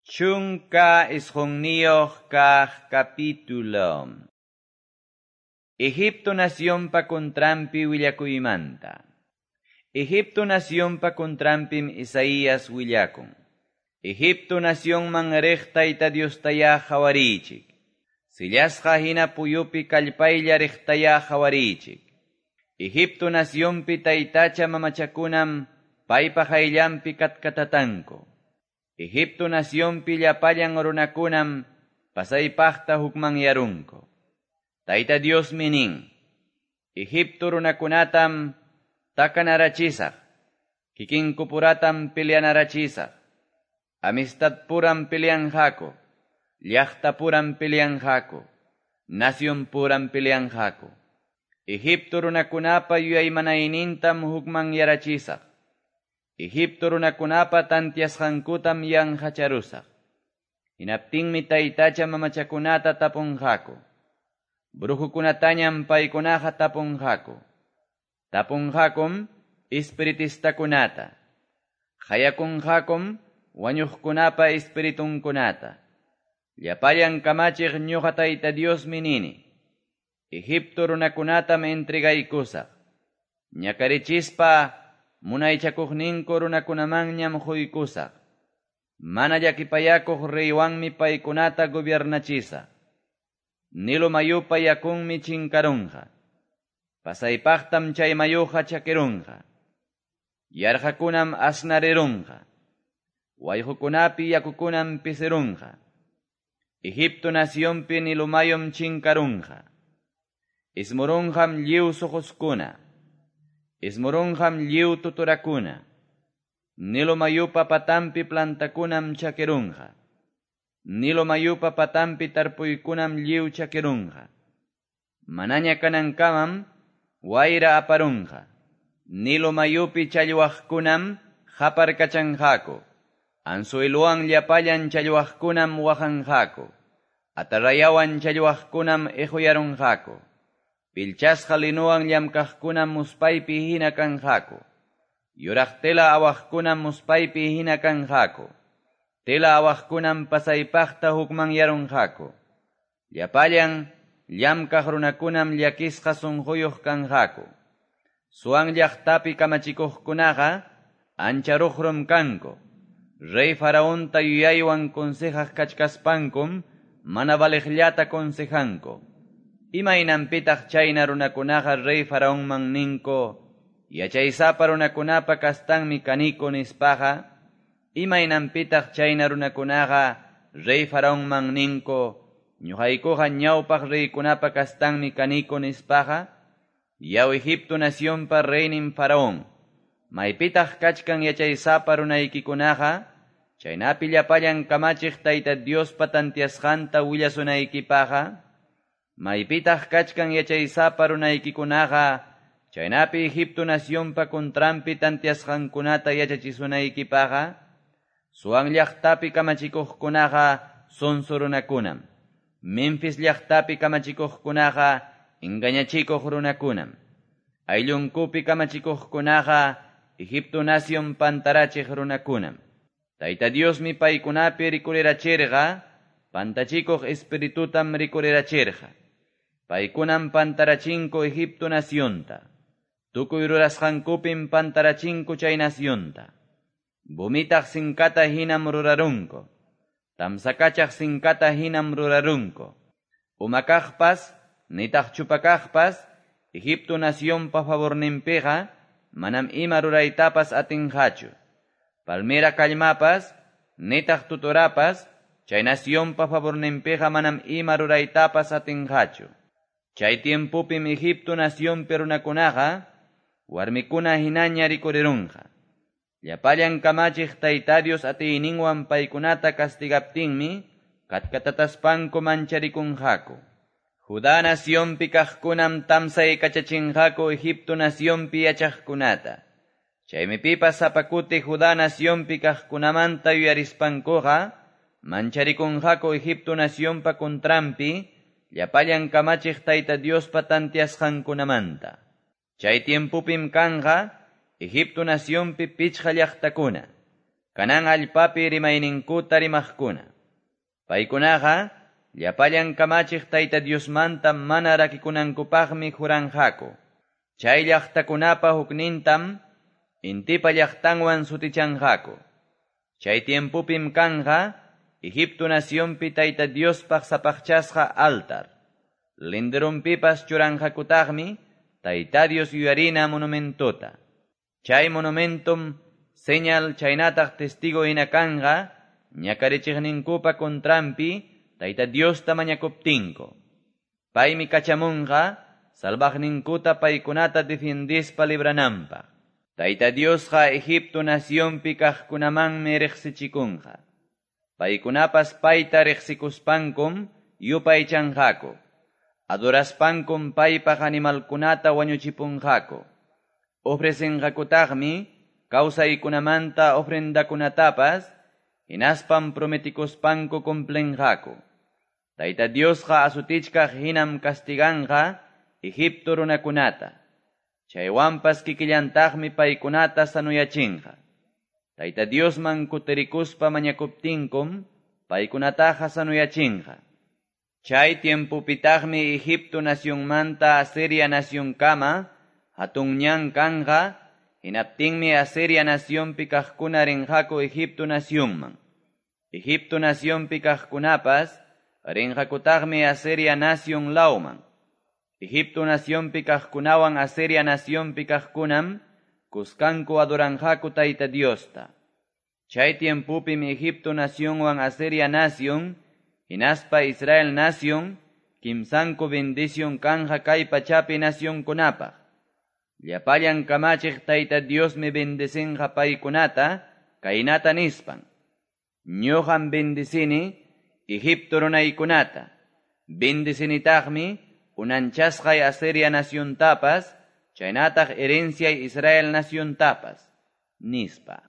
19 kaq capítulo. Egipto nacionpa contranpi willakuymanta. Egipto nacionpa contranpim Isaías willakun. Egipto nacionman riq Tayta Diostayá qhawarichik. Sillasqa hina puyupi kallpaylla riqtayá qhawarichik. Egipto nacionpi taytacha mamachakunam paypa qayllanpi katkatatanku. Egipto nacionpi llapallan runakunam pasaypaqta hukmanyarunku. Tayta Diosmi nin, Egipto runakunatam takanarachisaq, kikinkupuratam peleanarachisaq, amistadpuram peleanqaku, llaqtapuram peleanqaku, nacionpuram peleanqaku. Egipto runakunapa yuyaymanaynintam hukmanyarachisaq. Egipto runakunapa tantiasqankutam yanqacharusaq. Hinaptinmi taytacha mamachakunata tapunqaku. Brujukunatañam paykunaqa tapunqaku. Tapunqakum espiritistakunata. Qayakunqakum wañuqkunapa espiritunkunata. Llapallan kamachiq ñuqa Tayta Diosmi nini. Egipto runakunatam entregaykusaq. Ñakarichispa munaychakuqninku runakunamanñam quykusaq. Mana llakipayakuq reywanmi paykunata gobiernachisaq. Nilo mayupa yakunmi chinkarunqa. Pasaypaqtam chay mayuqa chakirunqa. Yarqakunam asnarirunqa. Wayqukunapi yakukunam pisirunqa. Egipto nacionpi Nilo mayum chinkarunqa. Ismurunqam lliw suquskuna. Ismurunqam lliw tuturakuna. Nilo mayupa patampi plantakunam chakirunqa. Nilo mayupa patampi tarpuykunam lliw chakirunqa. Manaña kanankamam wayra aparunqa. Nilo mayupi challwaqkunam qaparkachanqaku. Anzueluwan llapallan challwaqkunam waqanqaku. Atarrayawan challwaqkunam iquyarunqaku. Pilchasqa linuwan llamkaqkunam muspaypi hina kanqaku. Yuraq tela awaqkunam muspaypi hina kanqaku. Tela awaqkunam pasaypaqta hukmanyarunqaku. Llapallan llamkaq runakunam llakisqa sunquyuq kanqaku. Suwan llaqtapi kamachikuqkunaqa ancha ruqrum kanku. Rey Faraonta yuyaywan consejaq kachkaspankum mana valiqllata consejanku. Imaynanpitaq chayna runakunaqa rey Faraonman ninku, yachaysapa runakunapa kastanmi kaniku nispaqa, imaynanpitaq chayna runakunaqa rey Faraonman ninku, ñuqaykuqa ñawpaq reykunapa kastanmi kaniku nispaqa, yaw Egipto nacionpa reynin Faraón, maypitaq kachkan yachaysapa runaykikunaqa, chaynapi llapallan kamachiq Tayta Diospa tantiasqanta willasunaykipaqqa, maypitaq kachkan yachaysapa runaykikunaqa, chaynapi Egipto nacionpa contranpi tantiasqankunata yachachisunaykipaqqa, Suwan llaqtapi kamachikuqkunaqa sonso runakunam. Memphis llaqtapi kamachikuqkunaqa engañachikuq runakunam. Ayllunkupi kamachikuqkunaqa Egipto nacion pantarachiq runakunam. Tayta Diosmi paykunapi rikurirachirqa, pantachikuq espiritutam rikurirachirqa. Paykunam pantarachinku Egipto nacionta. Tukuy rurasqankupim pantarachinku chay nacionta. Bumitaq sinkata hinam rurarunku. Tamsakachaq sinkata hinam rurarunku. Umakaqpas, nitaq chupakaqpas, Egipto nacionpa favorninpiqa, manam ima ruraytapas atinqachu. Palmera kallmapas, nitaq tuturapas, chay nacionpa favorninpiqa manam ima ruraytapas atinqachu. Chay tiempopim Egipto nacionpi runakunaqa, warmikuna hinaña rikurirunqa. Llapallan kamachiq Tayta Dios atiyninwan paykunata castigaptinmi, katkatataspanku mancharikunqaku. Judá nacionpi kaqkunam tamsaykachachinqaku Egipto nacionpi yachaqkunata. Chaymi pipas sapa kuti Judá nacionpi kaqkunamanta yuyarispankuqa, mancharikunqaku Egipto nacionpa contranpi, llapallan kamachiq Tayta Diospa tantiasqankunamanta. Chay tiempopim kanqa Egipto nacionpi pichqa llaqtakuna, Canaán allpapi rimayninkuta rimaqkuna. Paykunaqa llapallan kamachiq Tayta Diosmanta mana rakikunankupaqmi juranqaku. Chay llaqtakunapa huknintam intipa llaqtanwan sutichanqaku. Chay tiempopim kanqa Egipto nacionpi Tayta Diospaq sapaqchasqa altar. Linderunpipas churanqakutaqmi Tayta Dios yuyarina monumentota. Chay monumentum señal chaynataq testigo hina kanqa ñakarichiqninkupa contranpi Tayta Diosta mañakuptinku. Paymi kachamunqa salvaqninkuta paykunata defiendispa librananpaq. Tayta Diosqa Egipto nacionpi kaqkunamanmi riqsichikunqa. Paykunapas payta riqsikuspankum yupaychanqaku. Adoraspankum paypaq animalkunata wañuchipunqaku. Ofrecenqakutaqmi kawsaykunamanta ofrendakunatapas, hinaspam prometikuspanku cumplenqaku. Tayta Diosqa asutichkaq hinam castiganqa Egipto runakunata. Chaywanpas kikillantaqmi paykunata sanuyachinqa. Tayta Diosman kutirikuspa mañakuptinkum paykunataqa sanuyachinqa. Chay tiempopitaqmi Egipto nacionmanta Asiria nacionkama hatun ñan kanqa, hinaptinmi Asiria nacionpi kaqkuna rinqaku Egipto nacionman. Egipto nacionpi kaqkunapas rinqakutaqmi Asiria nacion lawman. Egipto nacionpi kaqkunawan Asiria nacionpi kaqkunam kuskanku adoranqaku Tayta Diosta. Chay tiempopim Egipto nacionwan Asiria nacion, hinaspa Israel nacion, kimsanku bendición kanja kay pachapi nacionkunapaq. Llapallan kamachiq Tayta Diosmi bendecinqa paykunata, kaynata nispan. Ñuqam bendicini Egipto runaykunata. Bendecinitaqmi unanchasqay Asiria naciontapas, chaynataq herenciay Israel naciontapas, nispa.